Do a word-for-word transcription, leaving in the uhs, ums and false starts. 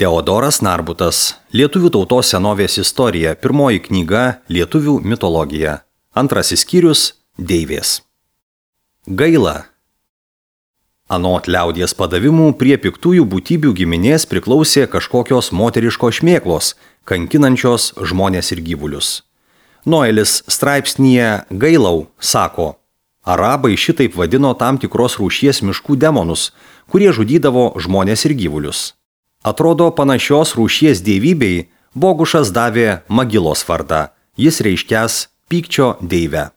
Teodoras Narbutas. Lietuvių tautos senovės istorija. Pirmoji knyga Lietuvių mitologija. Antrasis skyrius Deivės. Gaila. Anot liaudies padavimų prie piktųjų būtybių giminės priklausė kažkokios moteriškos šmėklos, kankinančios žmonės ir gyvulius. Noelis straipsnyje Gailau sako, arabai šitaip vadino tam tikros rūšies miškų demonus, kurie žudydavo žmonės ir gyvulius. Atrodo, panašios rūšies dievybei Bogušas davė Magilos vardą, jis reiškias pykčio deivę.